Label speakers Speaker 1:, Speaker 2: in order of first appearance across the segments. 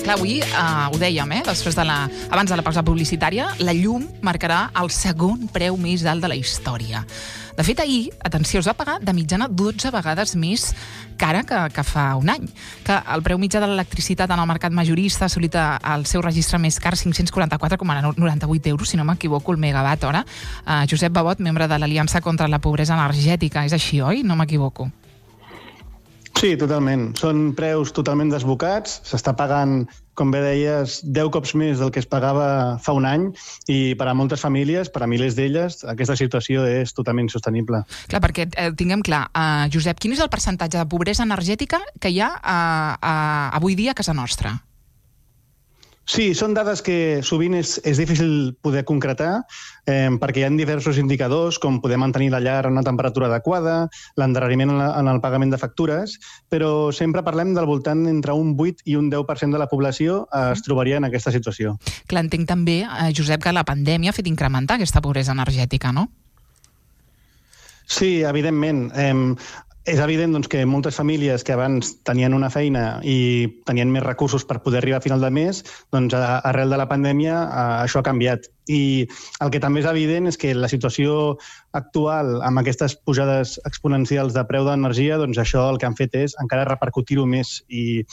Speaker 1: Clar, avui, ho dèiem, després abans de la pausa publicitària, la llum marcarà el segon preu més alt de la història. De fet, ahir, atenció, es va pagar de mitjana 12 vegades més cara que fa un any. Que el preu mitjà de l'electricitat en el mercat majorista ha assolit el seu registre més car, 544,98 euros, si no m'equivoco, el megawatt hora. Josep Babot, membre de l'Aliança contra la Pobresa Energètica. És així, oi? No m'equivoco.
Speaker 2: Sí, totalment. Són preus totalment desbocats. S'està pagant, com bé deies, 10 cops més del que es pagava fa un any i per a moltes famílies, per a milers d'elles, aquesta situació és totalment insostenible.
Speaker 1: Clar, perquè tinguem clar, Josep, quin és el percentatge de pobresa energètica que hi ha avui dia a casa nostra?
Speaker 2: Sí, són dades que sovint és difícil poder concretar perquè hi ha diversos indicadors, com poder mantenir la llar a una temperatura adequada, l'endarreriment en el pagament de factures, però sempre parlem del voltant entre un 8 i un 10% de la població es trobaria en aquesta situació.
Speaker 1: Clar, entenc també, Josep, que la pandèmia ha fet incrementar aquesta pobresa energètica, no?
Speaker 2: Sí, evidentment. És evident que moltes famílies que abans tenien una feina i tenien més recursos per poder arribar a final de mes, arrel de la pandèmia això ha canviat. I el que també és evident és que la situació actual, amb aquestes pujades exponencials de preu d'energia, això el que han fet és encara repercutir-ho més. I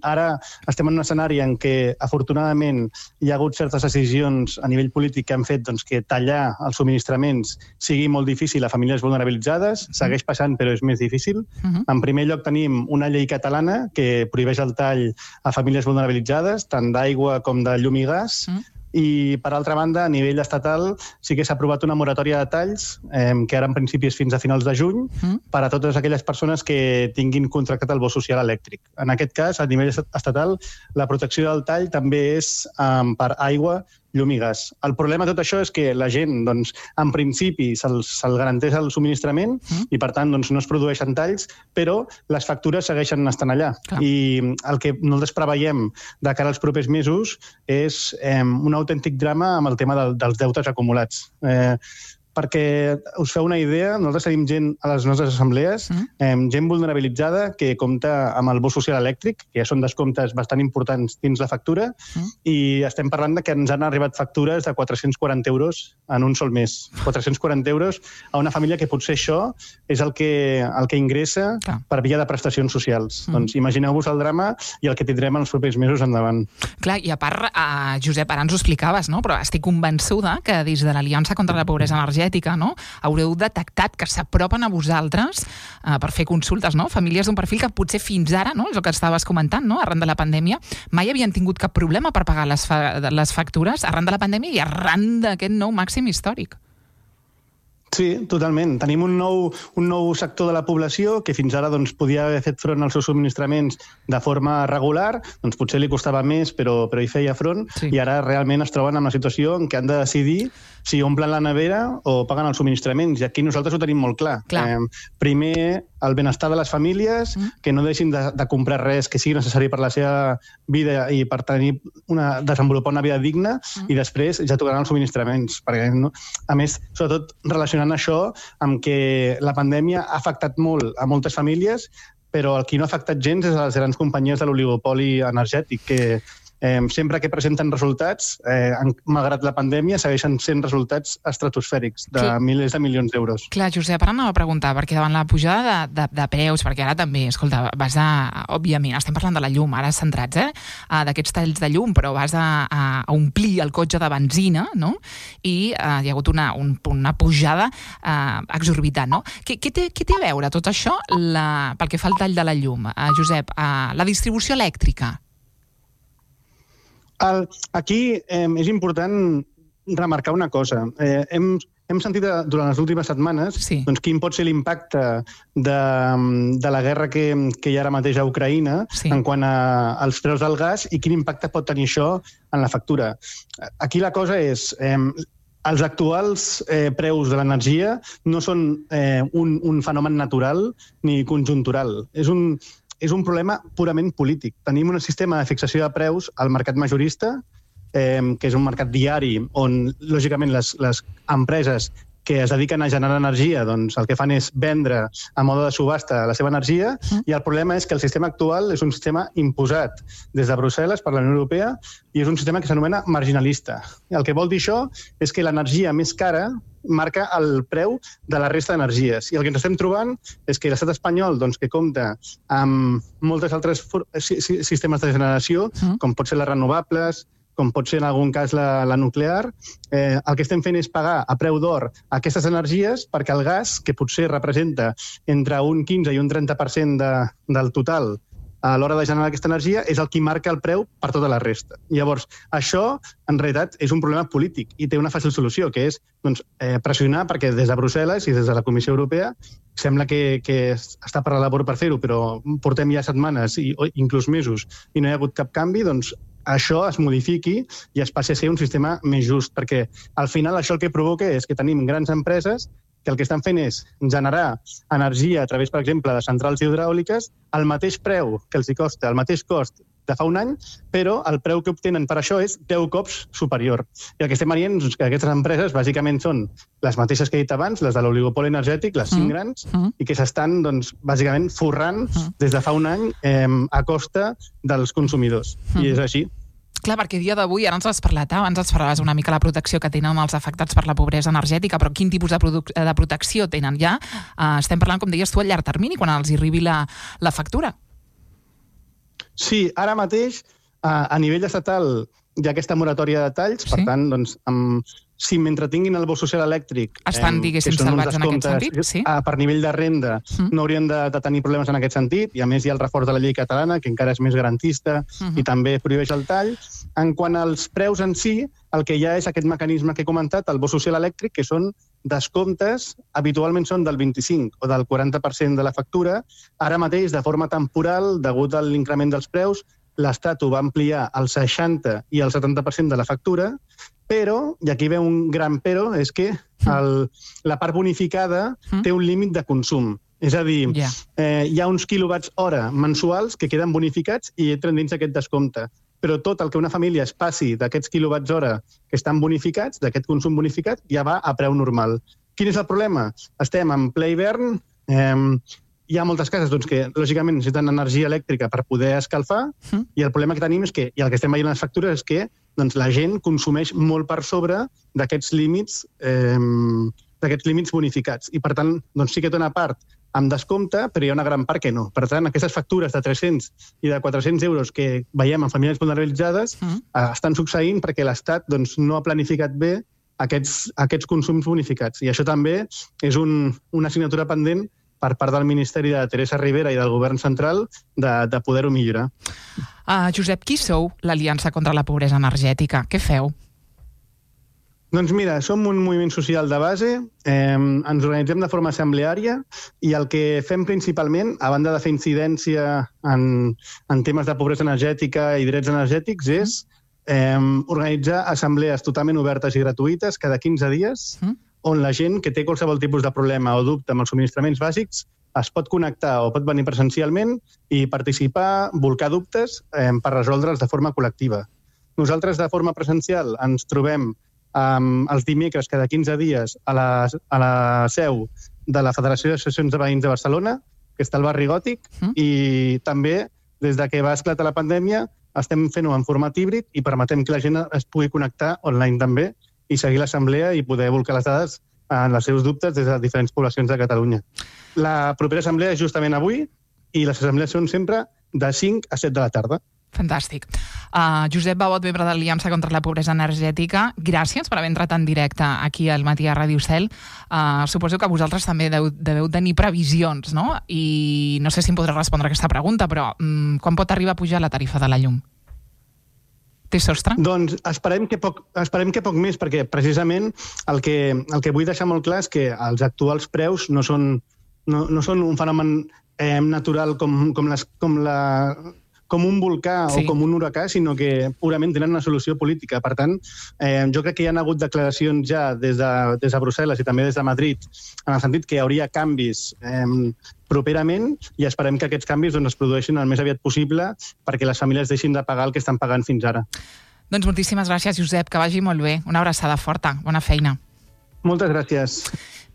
Speaker 2: ara estem en un escenari en què, afortunadament, hi ha hagut certes decisions a nivell polític que han fet que tallar els subministraments sigui molt difícil a famílies vulnerabilitzades. Segueix passant, però és més difícil. En primer lloc, tenim una llei catalana que prohibeix el tall a famílies vulnerabilitzades, tant d'aigua com de llum i gas. I, per altra banda, a nivell estatal sí que s'ha aprovat una moratòria de talls, que ara en principi és fins a finals de juny, per a totes aquelles persones que tinguin contractat el bo social elèctric. En aquest cas, a nivell estatal, la protecció del tall també és per aigua, llum i gas. El problema de tot això és que la gent, en principi, se'l garanteix el subministrament i, per tant, no es produeixen talls, però les factures segueixen estant allà.
Speaker 1: Clar.
Speaker 2: I el que nosaltres preveiem de cara als propers mesos és un autèntic drama amb el tema dels deutes acumulats. Perquè us feu una idea, nosaltres tenim gent a les nostres assemblees, gent vulnerabilitzada que compta amb el bo social elèctric, que ja són descomptes bastant importants dins la factura, i estem parlant que ens han arribat factures de 440 euros en un sol mes. 440 euros a una família que potser això és el que ingressa per via de prestacions socials. Doncs imagineu-vos el drama i el que tindrem els propers mesos endavant.
Speaker 1: Clar, i a part, Josep, ara ens ho explicaves, no? Però estic convençuda que des de l'Aliança contra la Pobresa Energètica, no? Haureu detectat que s'apropen a vosaltres per fer consultes, no? Famílies d'un perfil que potser fins ara, no? És el que estaves comentant, no? Arran de la pandèmia, mai havien tingut cap problema per pagar les factures arran de la pandèmia i arran d'aquest nou màxim històric.
Speaker 2: Sí, totalment. Tenim un nou sector de la població que fins ara podia haver fet front als seus subministraments de forma regular, potser li costava més, però hi feia front, i ara realment es troben en una situació en què han de decidir si omplen la nevera o paguen els subministraments. I aquí nosaltres ho tenim molt clar. Primer, el benestar de les famílies, que no deixin de comprar res que sigui necessari per la seva vida i per desenvolupar una vida digna, i després ja tocaran els subministraments. Perquè, a més, sobretot relacionant això amb que la pandèmia ha afectat molt a moltes famílies, però el que no ha afectat gens és a les grans companyies de l'oligopoli energètic, que sempre que presenten resultats, malgrat la pandèmia, segueixen sent resultats estratosfèrics de milers de milions d'euros.
Speaker 1: Clar, Josep, ara anava a preguntar, perquè davant la pujada de preus, perquè ara també, escolta, òbviament, estem parlant de la llum, ara centrats, d'aquests talls de llum, però vas a omplir el cotxe de benzina, no? I hi ha hagut una pujada exorbitant, no? Què té a veure tot això pel que fa al tall de la llum, Josep? La distribució elèctrica?
Speaker 2: Aquí és important remarcar una cosa. Hem sentit durant les últimes setmanes quin pot ser l'impacte de la guerra que hi ha ara mateix a Ucraïna en quant als preus del gas i quin impacte pot tenir això en la factura. Aquí la cosa és... Els actuals preus de l'energia no són un fenomen natural ni conjuntural. És un problema purament polític. Tenim un sistema de fixació de preus al mercat majorista, que és un mercat diari on, lògicament, les empreses que es dediquen a generar energia, doncs el que fan és vendre a mode de subhasta la seva energia, i el problema és que el sistema actual és un sistema imposat des de Brussel·les per la Unió Europea i és un sistema que s'anomena marginalista. El que vol dir això és que l'energia més cara marca el preu de la resta d'energies. I el que ens estem trobant és que l'estat espanyol, doncs, que compta amb moltes altres sistemes de generació, com pot ser les renovables, com pot ser en algun cas la nuclear, el que estem fent és pagar a preu d'or aquestes energies perquè el gas, que potser representa entre un 15 i un 30% del total a l'hora de generar aquesta energia, és el que marca el preu per tota la resta. Llavors, això, en realitat, és un problema polític i té una fàcil solució, que és pressionar, perquè des de Brussel·les i des de la Comissió Europea sembla que està per la labor per fer-ho, però portem ja setmanes i inclús mesos i no hi ha hagut cap canvi, doncs això es modifiqui i es passi a ser un sistema més just, perquè al final això el que provoca és que tenim grans empreses que el que estan fent és generar energia a través, per exemple, de centrals hidràuliques al mateix preu que els hi costa, al mateix cost de fa un any, però el preu que obtenen per això és 10 cops superior. I el que estem veient és que aquestes empreses bàsicament són les mateixes que he dit abans, les de l'oligopoli energètic, les 5 grans, i que s'estan doncs, bàsicament forrant des de fa un any a costa dels consumidors. I és així.
Speaker 1: Clar, perquè a dia d'avui, ara ens has parlat, abans ens parlaves una mica la protecció que tenen els afectats per la pobresa energètica, però quin tipus de protecció tenen ja? Estem parlant, com deies tu, a llarg termini, quan els hi arribi la factura.
Speaker 2: Sí, ara mateix, a nivell estatal, hi ha aquesta moratòria de talls, per tant, doncs, si mentre tinguin el bo social elèctric,
Speaker 1: estan, diguéssim, salvats en aquest sentit, sí?
Speaker 2: Per nivell de renda, no haurien de tenir problemes en aquest sentit, i a més hi ha el reforç de la llei catalana, que encara és més garantista i també prohibeix el tall. En quant als preus en si, el que hi ha és aquest mecanisme que he comentat, el bo social elèctric, que són descomptes, habitualment són del 25 o del 40% de la factura. Ara mateix, de forma temporal, degut a l'increment dels preus, l'Estat ho va ampliar al 60 i al 70% de la factura, però, i aquí ve un gran però, és que la part bonificada té un límit de consum. És a dir, hi ha uns quilowatts hora mensuals que queden bonificats i entren dins aquest descompte. Però tot el que una família es passi d'aquests quilowatts hora que estan bonificats, d'aquest consum bonificat, ja va a preu normal. Quin és el problema? Estem en ple hivern, hi ha moltes cases que, lògicament, necessiten energia elèctrica per poder escalfar, i el problema que tenim és que, i el que estem veient a les factures, és que la gent consumeix molt per sobre d'aquests límits bonificats. I, per tant, sí que té una part amb descompte, però hi ha una gran part que no. Per tant, aquestes factures de 300 i de 400 euros que veiem en famílies vulnerabilitzades estan succeint perquè l'Estat no ha planificat bé aquests consums bonificats. I això també és una assignatura pendent per part del Ministeri de Teresa Rivera i del Govern Central de poder-ho millorar.
Speaker 1: Josep, qui sou l'Aliança contra la Pobresa Energètica? Què feu?
Speaker 2: Doncs mira, som un moviment social de base, ens organitzem de forma assembleària i el que fem principalment, a banda de fer incidència en temes de pobresa energètica i drets energètics, és organitzar assemblees totalment obertes i gratuïtes cada 15 dies, on la gent que té qualsevol tipus de problema o dubte amb els subministraments bàsics es pot connectar o pot venir presencialment i participar, volcar dubtes per resoldre'ls de forma col·lectiva. Nosaltres, de forma presencial, ens trobem els dimecres cada 15 dies a la seu de la Federació d'Associacions de Veïns de Barcelona, que està al barri Gòtic, i també, des de que va esclatar la pandèmia, estem fent-ho en format híbrid i permetem que la gent es pugui connectar online també i seguir l'assemblea i poder volcar les dades en els seus dubtes des de diferents poblacions de Catalunya. La propera assemblea és justament avui i les assemblees són sempre de 5 a 7 de la tarda.
Speaker 1: Fantàstic. Josep Babot, membre de l'Aliança contra la Pobresa Energètica, gràcies per haver entrat en directe aquí al Matí a Ràdio Cel. Suposo que vosaltres també deveu tenir previsions, no? I no sé si em podreu respondre a aquesta pregunta, però quan pot arribar a pujar la tarifa de la llum? Té sostre?
Speaker 2: Doncs esperem que poc més, perquè precisament el que vull deixar molt clar és que els actuals preus no són un fenomen natural com un volcà o com un huracà, sinó que purament tenen una solució política. Per tant, jo crec que hi ha hagut declaracions ja des de Brussel·les i també des de Madrid, en el sentit que hi hauria canvis properament i esperem que aquests canvis es produeixin el més aviat possible perquè les famílies deixin de pagar el que estan pagant fins ara.
Speaker 1: Doncs moltíssimes gràcies, Josep, que vagi molt bé. Una abraçada forta. Bona feina.
Speaker 2: Moltes gràcies.